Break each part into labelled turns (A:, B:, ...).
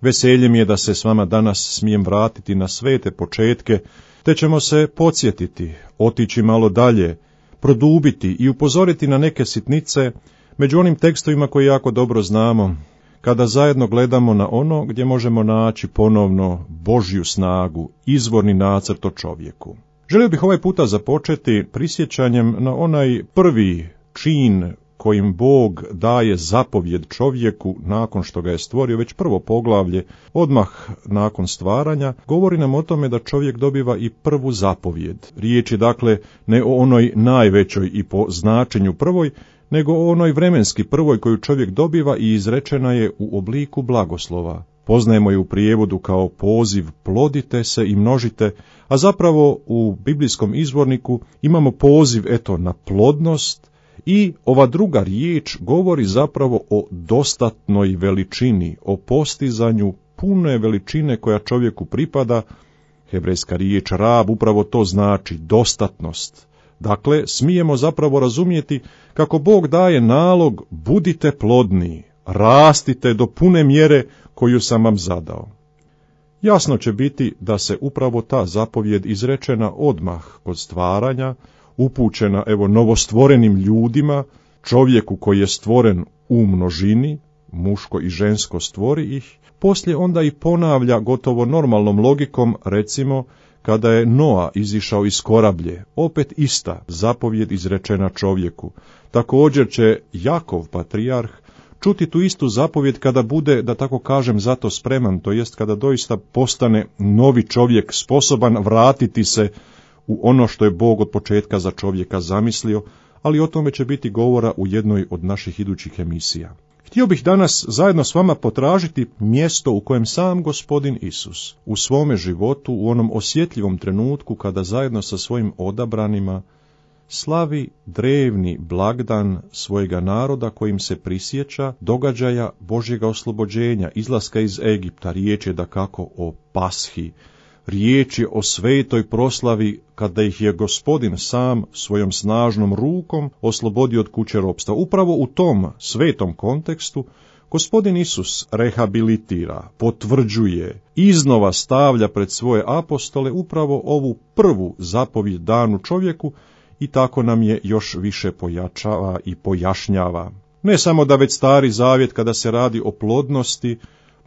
A: Veselje mi je da se s vama danas smijem vratiti na svete početke, te ćemo se podsjetiti, otići malo dalje, produbiti i upozoriti na neke sitnice među onim tekstovima koje jako dobro znamo, kada zajedno gledamo na ono gdje možemo naći ponovno Božju snagu, izvorni nacrt o čovjeku. Želio bih ovaj puta započeti prisjećanjem na onaj prvi čin kojim Bog daje zapovjed čovjeku nakon što ga je stvorio. Već prvo poglavlje, odmah nakon stvaranja, govori nam o tome da čovjek dobiva i prvu zapovjed. Riječ je dakle ne o onoj najvećoj i po značenju prvoj, nego o onoj vremenski prvoj koju čovjek dobiva i izrečena je u obliku blagoslova. Poznajemo je u prijevodu kao poziv plodite se i množite, a zapravo u biblijskom izvorniku imamo poziv na plodnost, i ova druga riječ govori zapravo o dostatnoj veličini, o postizanju pune veličine koja čovjeku pripada. Hebrejska riječ rab upravo to znači, dostatnost. Dakle, smijemo zapravo razumjeti kako Bog daje nalog budite plodni, rastite do pune mjere koju sam vam zadao. Jasno će biti da se upravo ta zapovjed izrečena odmah kod stvaranja, upućena novostvorenim ljudima, čovjeku koji je stvoren u množini, muško i žensko stvori ih, poslije onda i ponavlja gotovo normalnom logikom, recimo, kada je Noa izišao iz korablje, opet ista zapovjed izrečena čovjeku. Također će Jakov, patrijarh, čuti tu istu zapovjed kada bude, da tako kažem, zato spreman, to jest kada doista postane novi čovjek, sposoban vratiti se u ono što je Bog od početka za čovjeka zamislio, ali o tome će biti govora u jednoj od naših idućih emisija. Htio bih danas zajedno s vama potražiti mjesto u kojem sam Gospodin Isus u svome životu, u onom osjetljivom trenutku kada zajedno sa svojim odabranima slavi drevni blagdan svojega naroda kojim se prisjeća događaja Božjega oslobođenja, izlaska iz Egipta. Riječ je dakako o Pashi, riječ je o svetoj proslavi kada ih je Gospodin sam svojom snažnom rukom oslobodio od kuće ropstva. Upravo u tom svetom kontekstu Gospodin Isus rehabilitira, potvrđuje, iznova stavlja pred svoje apostole upravo ovu prvu zapovjed danu čovjeku i tako nam je još više pojačava i pojašnjava. Ne samo da već Stari Zavjet kada se radi o plodnosti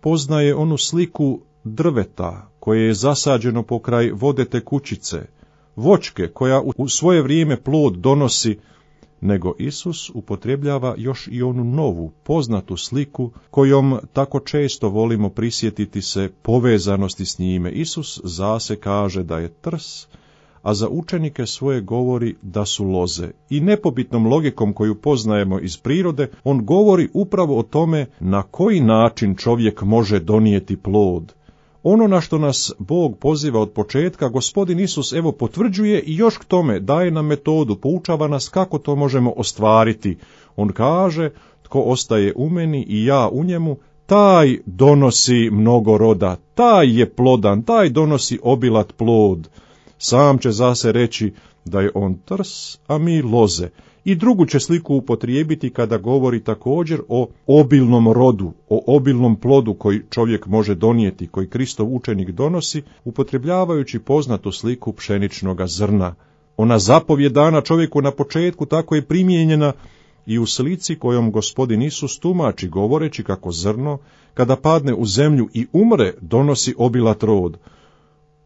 A: poznaje onu sliku drveta koje je zasađeno pokraj vode tekućice, voćke koja u svoje vrijeme plod donosi, nego Isus upotrebljava još i onu novu, poznatu sliku kojom tako često volimo prisjetiti se povezanosti s njime. Isus zase kaže da je trs, a za učenike svoje govori da su loze. I nepobitnom logikom koju poznajemo iz prirode, on govori upravo o tome na koji način čovjek može donijeti plod. Ono na što nas Bog poziva od početka, Gospodin Isus potvrđuje i još k tome daje nam metodu, poučava nas kako to možemo ostvariti. On kaže, tko ostaje u meni i ja u njemu, taj donosi mnogo roda, taj je plodan, taj donosi obilat plod. Sam će zase reći da je on trs, a mi loze. I drugu će sliku upotrijebiti kada govori također o obilnom rodu, o obilnom plodu koji čovjek može donijeti, koji Kristov učenik donosi, upotrebljavajući poznatu sliku pšeničnoga zrna. Ona zapovjed dana čovjeku na početku tako je primijenjena i u slici kojom Gospodin Isus tumači govoreći kako zrno, kada padne u zemlju i umre, donosi obilat rod.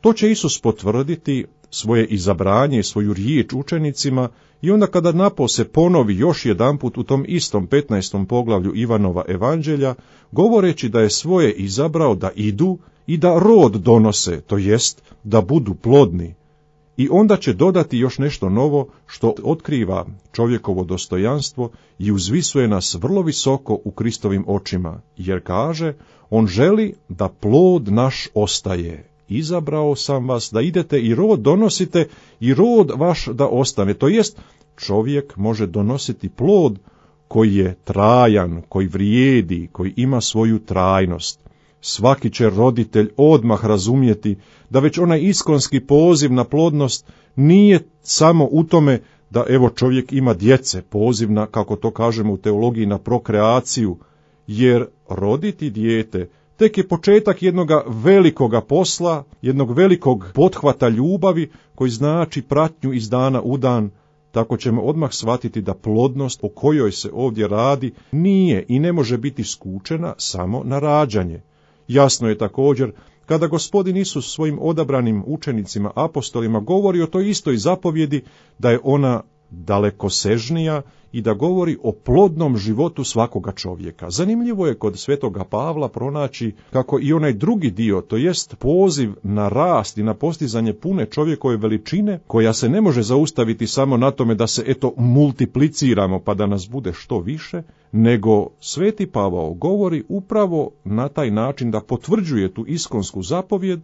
A: To će Isus potvrditi svoje izabranje i svoju riječ učenicima i onda kada napose ponovi još jedanput u tom istom 15. poglavlju Ivanova evanđelja, govoreći da je svoje izabrao da idu i da rod donose, to jest da budu plodni. I onda će dodati još nešto novo što otkriva čovjekovo dostojanstvo i uzvisuje nas vrlo visoko u Kristovim očima, jer kaže, on želi da plod naš ostaje. Izabrao sam vas da idete i rod donosite i rod vaš da ostane. To jest, čovjek može donositi plod koji je trajan, koji vrijedi, koji ima svoju trajnost. Svaki će roditelj odmah razumjeti da već onaj iskonski poziv na plodnost nije samo u tome da čovjek ima djece, poziv na, kako to kažemo u teologiji, na prokreaciju, jer roditi dijete tek je početak jednog velikoga posla, jednog velikog pothvata ljubavi koji znači pratnju iz dana u dan. Tako ćemo odmah shvatiti da plodnost o kojoj se ovdje radi nije i ne može biti skučena samo na rađanje. Jasno je također kada Gospodin Isus svojim odabranim učenicima, apostolima, govori o toj istoj zapovjedi, da je ona dalekosežnija i da govori o plodnom životu svakoga čovjeka. Zanimljivo je kod svetoga Pavla pronaći kako i onaj drugi dio, to jest poziv na rast i na postizanje pune čovjekove veličine, koja se ne može zaustaviti samo na tome da se multipliciramo pa da nas bude što više, nego sveti Pavao govori upravo na taj način da potvrđuje tu iskonsku zapovjed,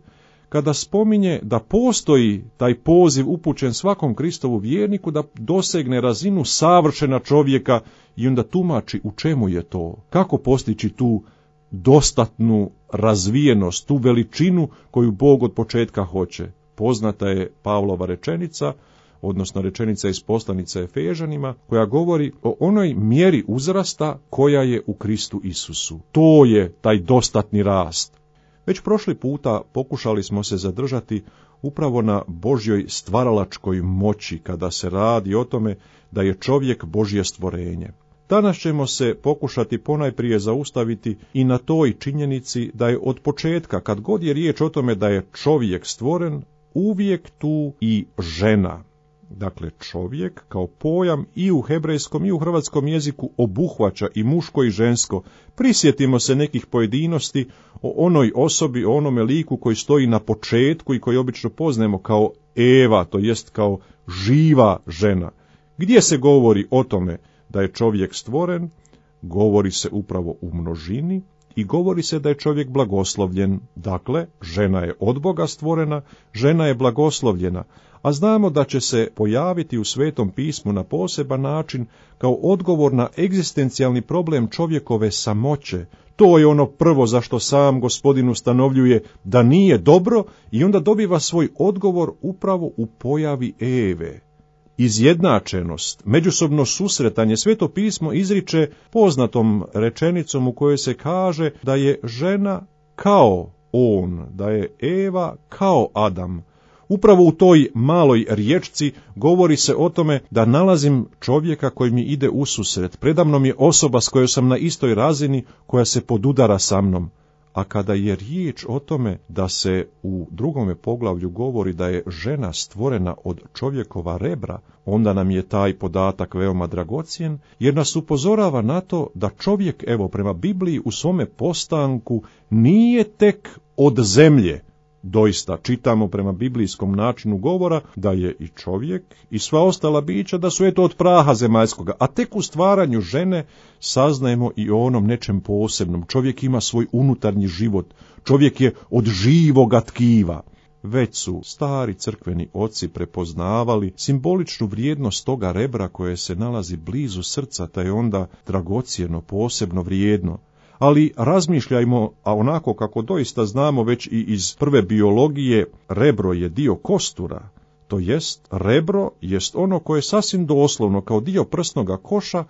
A: kada spominje da postoji taj poziv upućen svakom Kristovu vjerniku da dosegne razinu savršena čovjeka i onda tumači u čemu je to, kako postići tu dostatnu razvijenost, tu veličinu koju Bog od početka hoće. Poznata je Pavlova rečenica, odnosno rečenica iz poslanice Efežanima, koja govori o onoj mjeri uzrasta koja je u Kristu Isusu. To je taj dostatni rast. Već prošli puta pokušali smo se zadržati upravo na Božjoj stvaralačkoj moći, kada se radi o tome da je čovjek Božje stvorenje. Danas ćemo se pokušati ponajprije zaustaviti i na toj činjenici da je od početka, kad god je riječ o tome da je čovjek stvoren, uvijek tu i žena. Dakle, čovjek kao pojam i u hebrejskom i u hrvatskom jeziku obuhvaća i muško i žensko. Prisjetimo se nekih pojedinosti o onoj osobi, o onome liku koji stoji na početku i koji obično poznajemo kao Eva, to jest kao živa žena. Gdje se govori o tome da je čovjek stvoren, govori se upravo u množini i govori se da je čovjek blagoslovljen. Dakle, žena je od Boga stvorena, žena je blagoslovljena, a znamo da će se pojaviti u Svetom pismu na poseban način kao odgovor na egzistencijalni problem čovjekove samoće. To je ono prvo zašto sam Gospodin ustanovljuje da nije dobro i onda dobiva svoj odgovor upravo u pojavi Eve. Izjednačenost, međusobno susretanje, Sveto pismo izriče poznatom rečenicom u kojoj se kaže da je žena kao on, da je Eva kao Adam. Upravo u toj maloj riječci govori se o tome da nalazim čovjeka koji mi ide ususret. Predamnom je osoba s kojoj sam na istoj razini, koja se podudara sa mnom. A kada je riječ o tome da se u drugome poglavlju govori da je žena stvorena od čovjekova rebra, onda nam je taj podatak veoma dragocjen, jer nas upozorava na to da čovjek, evo prema Bibliji, u svome postanku nije tek od zemlje. Doista, čitamo prema biblijskom načinu govora da je i čovjek i sva ostala bića da su od praha zemaljskoga, a tek u stvaranju žene saznajemo i o onom nečem posebnom. Čovjek ima svoj unutarnji život, čovjek je od živoga tkiva. Već su stari crkveni oci prepoznavali simboličnu vrijednost toga rebra koje se nalazi blizu srca, te je onda dragocjeno, posebno vrijedno. Ali razmišljajmo, a onako kako doista znamo već i iz prve biologije, rebro je dio kostura, to jest rebro jest ono koje sasvim doslovno kao dio prsnoga koša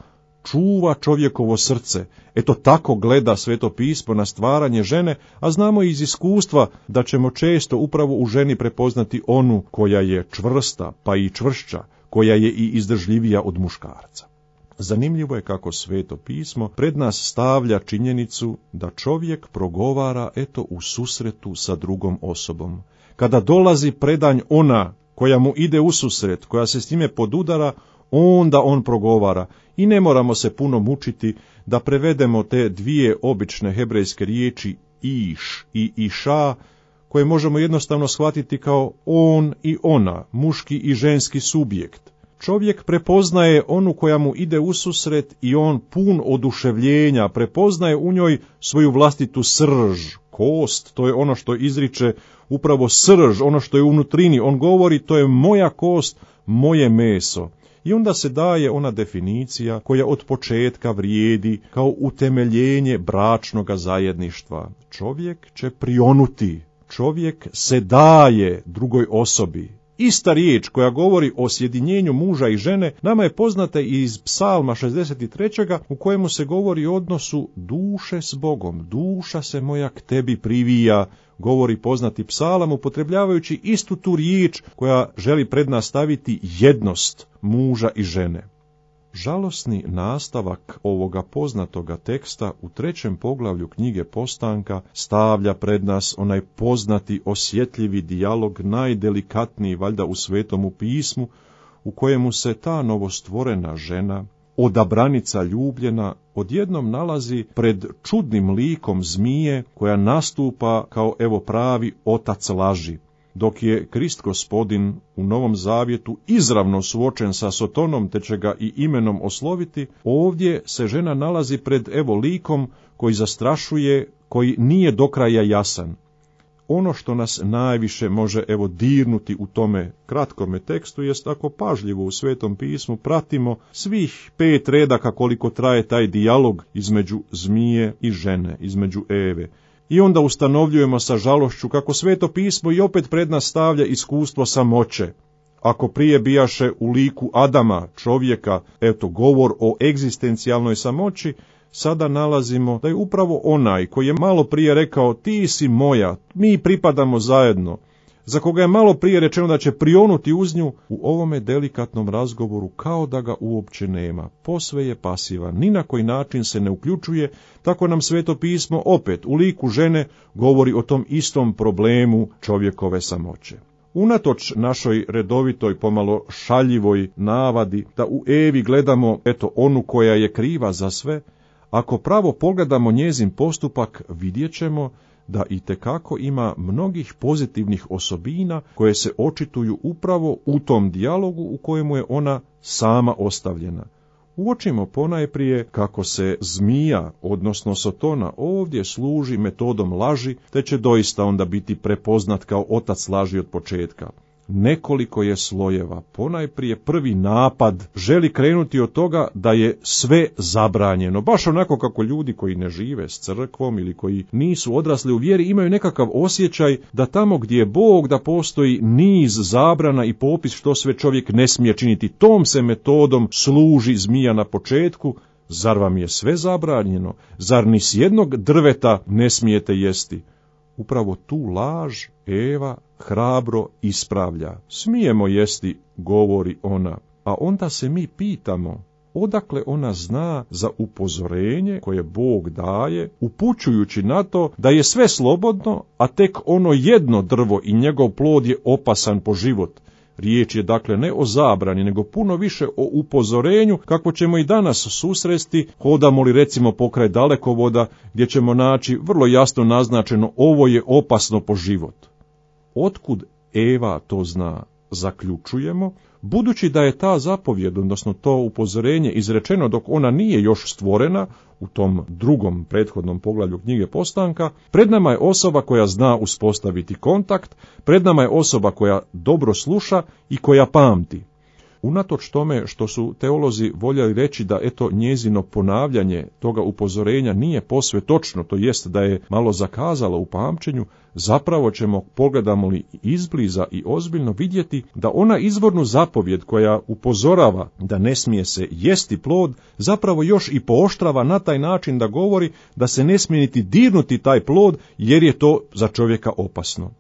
A: čuva čovjekovo srce. Eto tako gleda Sveto pismo na stvaranje žene, a znamo iz iskustva da ćemo često upravo u ženi prepoznati onu koja je čvrsta, pa i čvršća, koja je i izdržljivija od muškarca. Zanimljivo je kako Sveto pismo pred nas stavlja činjenicu da čovjek progovara u susretu sa drugom osobom. Kada dolazi predanj ona koja mu ide u susret, koja se s njime podudara, onda on progovara. I ne moramo se puno mučiti da prevedemo te dvije obične hebrejske riječi iš i iša, koje možemo jednostavno shvatiti kao on i ona, muški i ženski subjekt. Čovjek prepoznaje onu koja mu ide ususret i on pun oduševljenja, prepoznaje u njoj svoju vlastitu srž, kost, to je ono što izriče upravo srž, ono što je unutrini, on govori to je moja kost, moje meso. I onda se daje ona definicija koja od početka vrijedi kao utemeljenje bračnoga zajedništva. Čovjek će prionuti, čovjek se daje drugoj osobi. ista riječ koja govori o sjedinjenju muža i žene nama je poznata iz Psalma 63. u kojemu se govori o odnosu duše s Bogom. Duša se moja k tebi privija, govori poznati psalam, upotrebljavajući istu tu riječ koja želi pred nas staviti jednost muža i žene. Žalosni nastavak ovoga poznatoga teksta u 3. poglavlju knjige Postanka stavlja pred nas onaj poznati osjetljivi dijalog, najdelikatniji valjda u Svetomu pismu, u kojemu se ta novostvorena žena, odabranica ljubljena, odjednom nalazi pred čudnim likom zmije koja nastupa kao evo pravi otac laži. Dok je Krist Gospodin u Novom Zavjetu izravno suočen sa Sotonom, te će ga i imenom osloviti, ovdje se žena nalazi pred evo likom koji zastrašuje, koji nije do kraja jasan. Ono što nas najviše može evo dirnuti u tome kratkome tekstu jest ako pažljivo u Svetom pismu pratimo svih 5 redaka koliko traje taj dijalog između zmije i žene, između Eve. I onda ustanovljujemo sa žalošću kako Sveto pismo i opet pred nas stavlja iskustvo samoće. Ako prije bijaše u liku Adama, čovjeka, govor o egzistencijalnoj samoći, sada nalazimo da je upravo onaj koji je malo prije rekao ti si moja, mi pripadamo zajedno, za koga je malo prije rečeno da će prionuti uz nju, u ovome delikatnom razgovoru kao da ga uopće nema, posve je pasivan, ni na koji način se ne uključuje, tako nam Sveto pismo opet u liku žene govori o tom istom problemu čovjekove samoće. Unatoč našoj redovitoj, pomalo šaljivoj navadi da u Evi gledamo onu koja je kriva za sve, ako pravo pogledamo njezin postupak, vidjet ćemo da itekako ima mnogih pozitivnih osobina koje se očituju upravo u tom dijalogu u kojemu je ona sama ostavljena. Uočimo ponajprije kako se zmija, odnosno Sotona, ovdje služi metodom laži, te će doista onda biti prepoznat kao otac laži od početka. Nekoliko je slojeva. Ponajprije prvi napad želi krenuti od toga da je sve zabranjeno. Baš onako kako ljudi koji ne žive s crkvom ili koji nisu odrasli u vjeri imaju nekakav osjećaj da tamo gdje je Bog da postoji niz zabrana i popis što sve čovjek ne smije činiti. Tom se metodom služi zmija na početku. Zar vam je sve zabranjeno? Zar ni s jednog drveta ne smijete jesti? Upravo tu laž Eva hrabro ispravlja. Smijemo jesti, govori ona, a onda se mi pitamo odakle ona zna za upozorenje koje Bog daje, upućujući na to da je sve slobodno, a tek ono jedno drvo i njegov plod je opasan po život. Riječ je dakle ne o zabrani, nego puno više o upozorenju, kako ćemo i danas susresti, hodamo li recimo pokraj dalekovoda, gdje ćemo naći vrlo jasno naznačeno ovo je opasno po život. Otkud Eva to zna? Zaključujemo, budući da je ta zapovjed, odnosno to upozorenje izrečeno dok ona nije još stvorena, u tom drugom prethodnom poglavlju knjige Postanka, pred nama je osoba koja zna uspostaviti kontakt, pred nama je osoba koja dobro sluša i koja pamti. Unatoč tome što su teolozi voljeli reći da njezino ponavljanje toga upozorenja nije posve točno, to jest da je malo zakazalo u pamćenju, zapravo ćemo, pogledamo li izbliza i ozbiljno, vidjeti da ona izvornu zapovjed koja upozorava da ne smije se jesti plod, zapravo još i pooštrava na taj način da govori da se ne smije niti dirnuti taj plod jer je to za čovjeka opasno.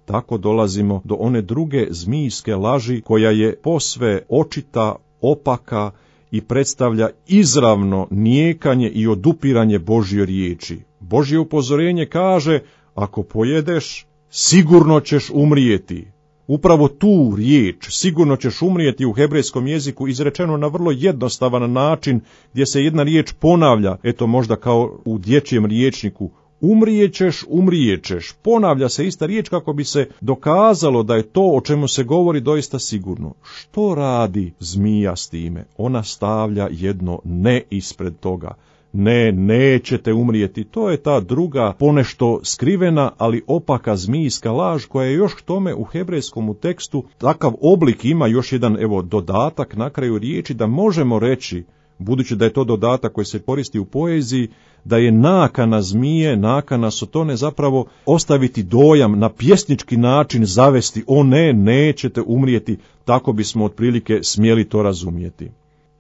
A: Tako dolazimo do one druge zmijske laži koja je posve očita, opaka i predstavlja izravno nijekanje i odupiranje Božje riječi. Božje upozorenje kaže, ako pojedeš, sigurno ćeš umrijeti. Upravo tu riječ, sigurno ćeš umrijeti, u hebrejskom jeziku izrečeno na vrlo jednostavan način, gdje se jedna riječ ponavlja, možda kao u dječjem rječniku, umrijećeš, ponavlja se ista riječ kako bi se dokazalo da je to o čemu se govori doista sigurno. Što radi zmija s time? Ona stavlja jedno ne ispred toga. Ne, nećete umrijeti. To je ta druga, ponešto skrivena, ali opaka zmijska laž koja je još k tome u hebrejskom tekstu takav oblik ima, još jedan dodatak na kraju riječi, da možemo reći budući da je to dodatak koji se koristi u poeziji, da je nakana zmije, nakana sotone zapravo ostaviti dojam, na pjesnički način zavesti, o ne, nećete umrijeti, tako bismo otprilike smjeli to razumjeti.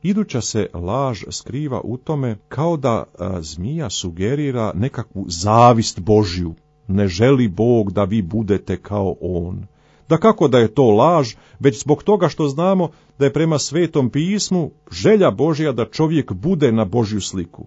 A: Iduća se laž skriva u tome kao da zmija sugerira nekakvu zavist Božju. Ne želi Bog da vi budete kao on. Dakako da je to laž, već zbog toga što znamo da je prema Svetom pismu želja Božja da čovjek bude na Božju sliku.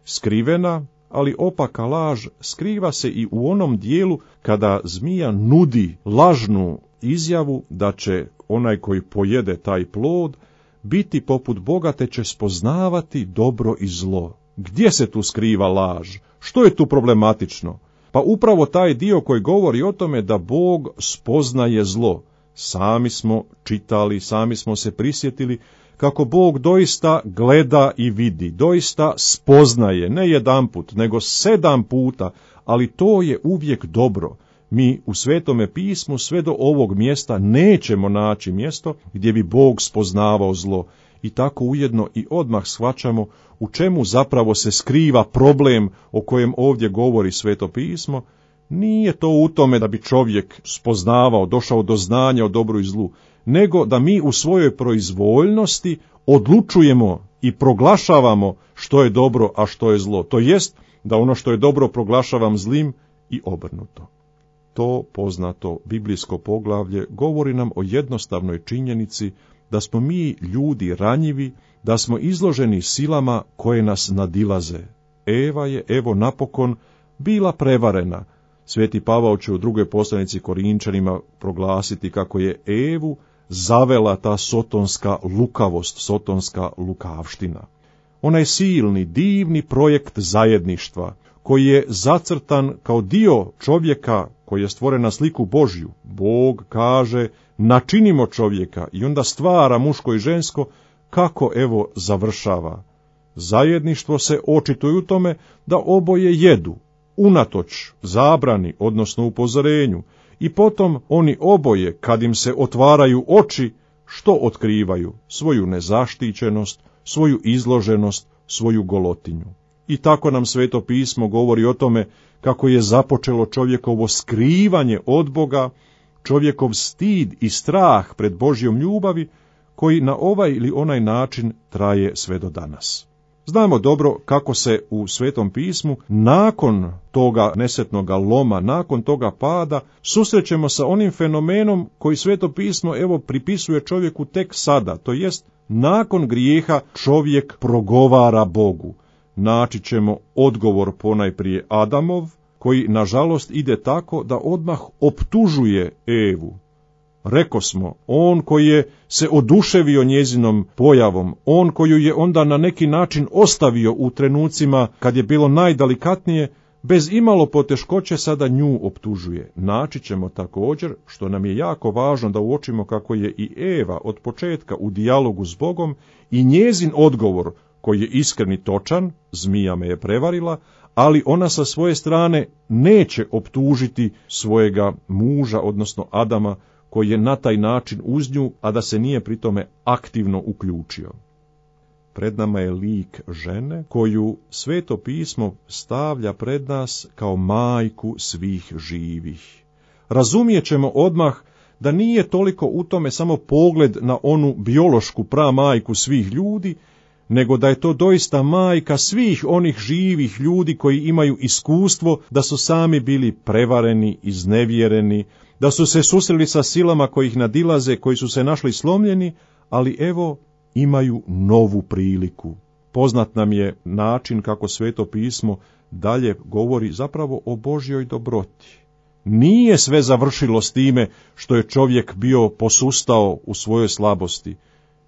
A: Skrivena, ali opaka laž skriva se i u onom dijelu kada zmija nudi lažnu izjavu da će onaj koji pojede taj plod biti poput Boga te će spoznavati dobro i zlo. Gdje se tu skriva laž? Što je tu problematično? Pa upravo taj dio koji govori o tome da Bog spoznaje zlo. Sami smo čitali, sami smo se prisjetili kako Bog doista gleda i vidi, doista spoznaje, ne jedanput, nego 7 puta, ali to je uvijek dobro. Mi u Svetome pismu sve do ovog mjesta nećemo naći mjesto gdje bi Bog spoznavao zlo. I tako ujedno i odmah shvaćamo u čemu zapravo se skriva problem o kojem ovdje govori Sveto pismo. Nije to u tome da bi čovjek spoznavao, došao do znanja o dobru i zlu, nego da mi u svojoj proizvoljnosti odlučujemo i proglašavamo što je dobro, a što je zlo. To jest da ono što je dobro proglašavam zlim i obrnuto. To poznato biblijsko poglavlje govori nam o jednostavnoj činjenici da smo mi ljudi ranjivi, da smo izloženi silama koje nas nadilaze. Eva je, evo napokon, bila prevarena. Sveti Pavao će u drugoj poslanici Korinčanima proglasiti kako je Evu zavela ta sotonska lukavost, sotonska lukavština. Onaj silni, divni projekt zajedništva, koji je zacrtan kao dio čovjeka koji je stvoren na sliku Božju. Bog kaže, načinimo čovjeka i onda stvara muško i žensko, kako evo završava. Zajedništvo se očituje u tome da oboje jedu, unatoč zabrani, odnosno upozorenju, i potom oni oboje, kad im se otvaraju oči, što otkrivaju? Svoju nezaštićenost, svoju izloženost, svoju golotinju. I tako nam Sveto pismo govori o tome kako je započelo čovjekovo skrivanje od Boga, čovjekov stid i strah pred Božjom ljubavi, koji na ovaj ili onaj način traje sve do danas. Znamo dobro kako se u Svetom pismu nakon toga nesretnoga loma, nakon toga pada, susrećemo sa onim fenomenom koji Sveto pismo evo pripisuje čovjeku tek sada, to jest nakon grijeha čovjek progovara Bogu. Naći ćemo odgovor ponajprije Adamov, koji nažalost ide tako da odmah optužuje Evu. Rekosmo, on koji je se oduševio njezinom pojavom, on koju je onda na neki način ostavio u trenucima kad je bilo najdelikatnije, bez imalo poteškoće sada nju optužuje. Naći ćemo također, što nam je jako važno da uočimo kako je i Eva od početka u dijalogu s Bogom i njezin odgovor, koji je iskren i točan, zmija me je prevarila, ali ona sa svoje strane neće optužiti svojega muža, odnosno Adama, koji je na taj način uz nju, a da se nije pritome aktivno uključio. Pred nama je lik žene koju Sveto pismo stavlja pred nas kao majku svih živih. Razumijet ćemo odmah da nije toliko u tome samo pogled na onu biološku pramajku svih ljudi, nego da je to doista majka svih onih živih ljudi koji imaju iskustvo da su sami bili prevareni, iznevjereni, da su se susreli sa silama koji ih nadilaze, koji su se našli slomljeni, ali evo imaju novu priliku. Poznat nam je način kako Sveto pismo dalje govori zapravo o Božjoj dobroti. Nije sve završilo s time što je čovjek bio posustao u svojoj slabosti.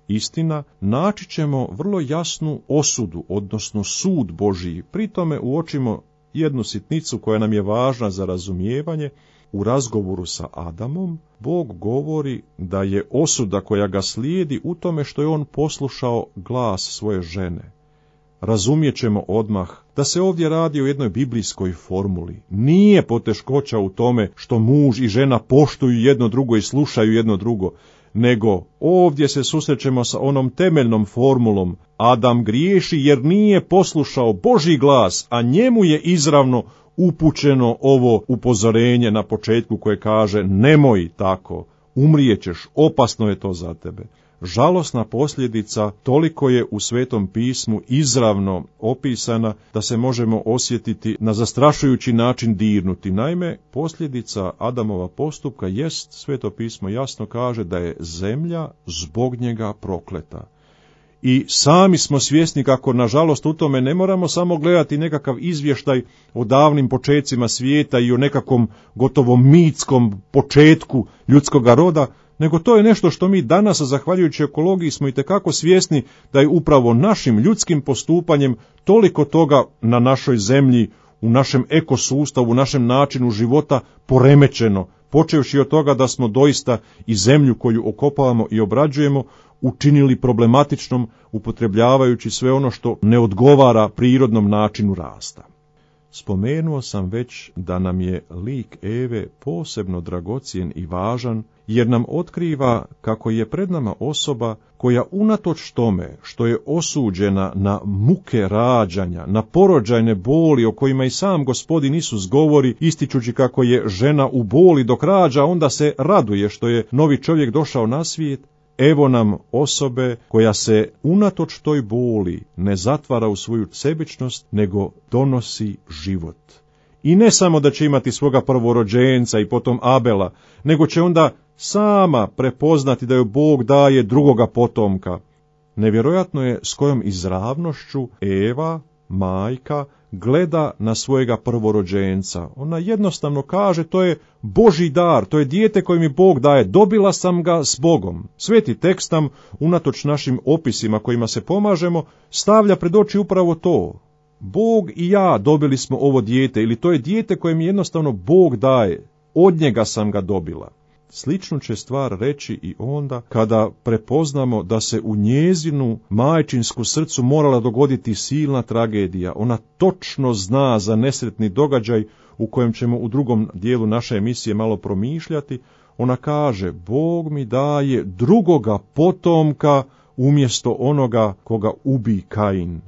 A: Istina, naći ćemo vrlo jasnu osudu, odnosno sud Božiji. Pri tome uočimo jednu sitnicu koja nam je važna za razumijevanje. U razgovoru sa Adamom, Bog govori da je osuda koja ga slijedi u tome što je on poslušao glas svoje žene. Razumijet ćemo odmah da se ovdje radi o jednoj biblijskoj formuli. Nije poteškoća u tome što muž i žena poštuju jedno drugo i slušaju jedno drugo, nego ovdje se susrećemo sa onom temeljnom formulom: Adam griješi jer nije poslušao Božji glas, a njemu je izravno upućeno ovo upozorenje na početku koje kaže: nemoj tako, umrijećeš, opasno je to za tebe. Žalosna posljedica toliko je u Svetom pismu izravno opisana da se možemo osjetiti na zastrašujući način dirnuti. Naime, posljedica Adamova postupka jest, Sveto pismo jasno kaže, da je zemlja zbog njega prokleta. I sami smo svjesni kako, nažalost, u tome ne moramo samo gledati nekakav izvještaj o davnim počecima svijeta i o nekakvom gotovo mitskom početku ljudskoga roda, nego to je nešto što mi danas, zahvaljujući ekologiji, smo itekako svjesni da je upravo našim ljudskim postupanjem toliko toga na našoj zemlji, u našem ekosustavu, u našem načinu života poremećeno, počevši od toga da smo doista i zemlju koju okopavamo i obrađujemo učinili problematičnom, upotrebljavajući sve ono što ne odgovara prirodnom načinu rasta. Spomenuo sam već da nam je lik Eve posebno dragocjen i važan, jer nam otkriva kako je pred nama osoba koja unatoč tome što je osuđena na muke rađanja, na porođajne boli o kojima i sam Gospodin Isus govori, ističući kako je žena u boli dok rađa, onda se raduje što je novi čovjek došao na svijet. Evo nam osobe koja se unatoč toj boli ne zatvara u svoju sebičnost, nego donosi život. I ne samo da će imati svoga prvorođenca i potom Abela, nego će onda sama prepoznati da joj Bog daje drugoga potomka. Nevjerojatno je s kojom izravnošću Eva, majka, gleda na svojega prvorođenca. Ona jednostavno kaže: to je Božji dar, to je dijete koje mi Bog daje, dobila sam ga s Bogom. Sveti tekst nam, unatoč našim opisima kojima se pomažemo, stavlja pred oči upravo to. Bog i ja dobili smo ovo dijete, ili to je dijete koje mi jednostavno Bog daje, od njega sam ga dobila. Sličnu će stvar reći i onda kada prepoznamo da se u njezinu majčinsku srcu morala dogoditi silna tragedija. Ona točno zna za nesretni događaj u kojem ćemo u drugom dijelu naše emisije malo promišljati. Ona kaže: Bog mi daje drugoga potomka umjesto onoga koga ubi Kain.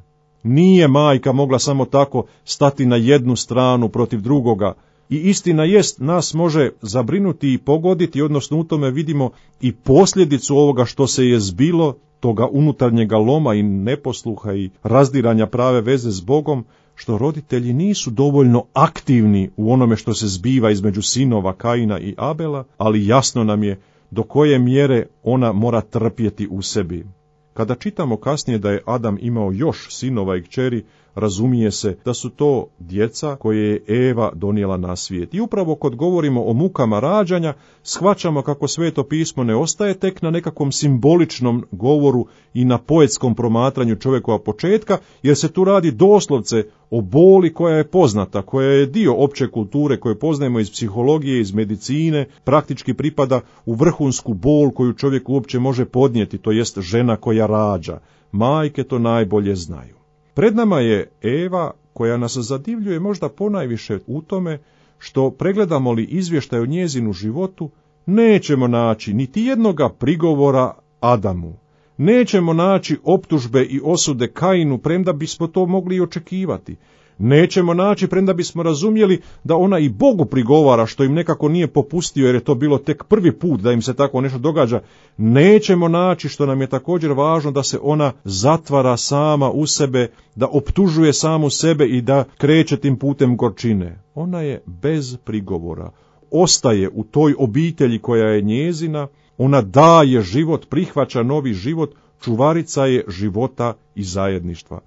A: Nije majka mogla samo tako stati na jednu stranu protiv drugoga. I istina jest, nas može zabrinuti i pogoditi, odnosno u tome vidimo i posljedicu ovoga što se je zbilo, toga unutarnjega loma i neposluha i razdiranja prave veze s Bogom, što roditelji nisu dovoljno aktivni u onome što se zbiva između sinova Kaina i Abela, ali jasno nam je do koje mjere ona mora trpjeti u sebi. Kada čitamo kasnije da je Adam imao još sinova i kćeri, razumije se da su to djeca koje je Eva donijela na svijet. I upravo kod govorimo o mukama rađanja, shvaćamo kako Sveto pismo ne ostaje tek na nekakvom simboličnom govoru i na poetskom promatranju čovjekova početka, jer se tu radi doslovce o boli koja je poznata, koja je dio opće kulture koju poznajemo iz psihologije, iz medicine, praktički pripada u vrhunsku bol koju čovjek uopće može podnijeti, to jest žena koja rađa. Majke to najbolje znaju. Pred nama je Eva koja nas zadivljuje možda ponajviše u tome što, pregledamo li izvještaj o njezinu životu, nećemo naći niti jednoga prigovora Adamu. Nećemo naći optužbe i osude Kainu, premda bismo to mogli i očekivati. Nećemo naći, premda bismo razumjeli da ona i Bogu prigovara što im nekako nije popustio, jer je to bilo tek prvi put da im se tako nešto događa. Nećemo naći, što nam je također važno, da se ona zatvara sama u sebe, da optužuje samu sebe i da kreće tim putem gorčine. Ona je bez prigovora. Ostaje u toj obitelji koja je njezina, ona daje život, prihvaća novi život, čuvarica je života i zajedništva.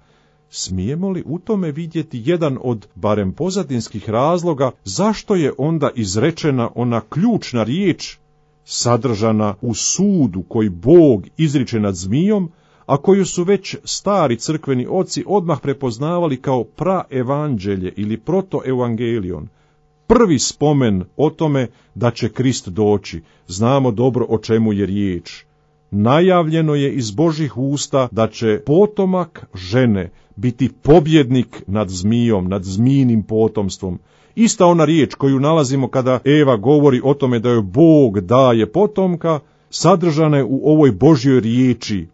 A: Smijemo li u tome vidjeti jedan od barem pozadinskih razloga zašto je onda izrečena ona ključna riječ sadržana u sudu koji Bog izriče nad zmijom, a koju su već stari crkveni oci odmah prepoznavali kao praevanđelje ili protoevangelion. Prvi spomen o tome da će Krist doći. Znamo dobro o čemu je riječ. Najavljeno je iz Božjih usta da će potomak žene biti pobjednik nad zmijom, nad zmijinim potomstvom. Ista ona riječ koju nalazimo kada Eva govori o tome da joj Bog daje potomka, sadržane u ovoj Božjoj riječi,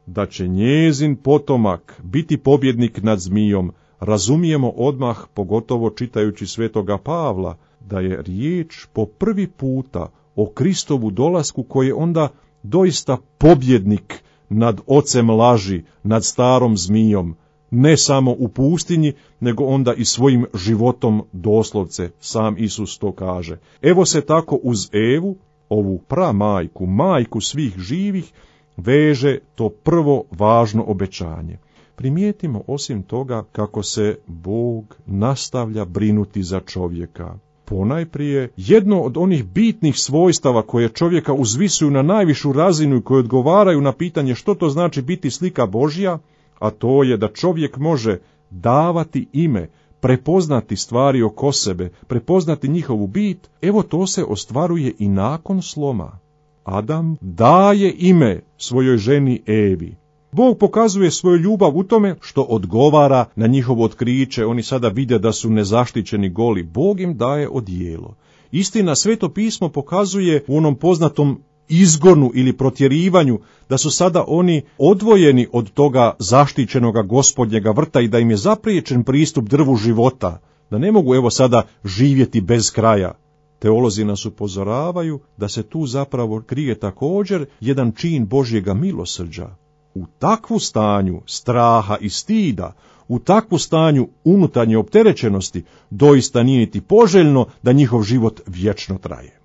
A: da će njezin potomak biti pobjednik nad zmijom, razumijemo odmah, pogotovo čitajući svetoga Pavla, da je riječ po prvi puta o Kristovu dolasku koji je onda doista pobjednik nad ocem laži, nad starom zmijom, ne samo u pustinji, nego onda i svojim životom doslovce, sam Isus to kaže. Evo se tako uz Evu, ovu pramajku, majku svih živih, veže to prvo važno obećanje. Primijetimo osim toga kako se Bog nastavlja brinuti za čovjeka. Ponajprije, jedno od onih bitnih svojstava koje čovjeka uzvisuju na najvišu razinu i koje odgovaraju na pitanje što to znači biti slika Božja, a to je da čovjek može davati ime, prepoznati stvari oko sebe, prepoznati njihovu bit, evo to se ostvaruje i nakon sloma. Adam daje ime svojoj ženi Evi. Bog pokazuje svoju ljubav u tome što odgovara na njihovo otkriće. Oni sada vide da su nezaštićeni goli. Bog im daje odijelo. Istina, Sveto pismo pokazuje u onom poznatom izgonu ili protjerivanju da su sada oni odvojeni od toga zaštićenoga Gospodnjega vrta i da im je zapriječen pristup drvu života, da ne mogu evo sada živjeti bez kraja. Teolozi nas upozoravaju da se tu zapravo krije također jedan čin Božjega milosrđa. U takvu stanju straha i stida, u takvu stanju unutarnje opterećenosti, doista nije niti poželjno da njihov život vječno traje.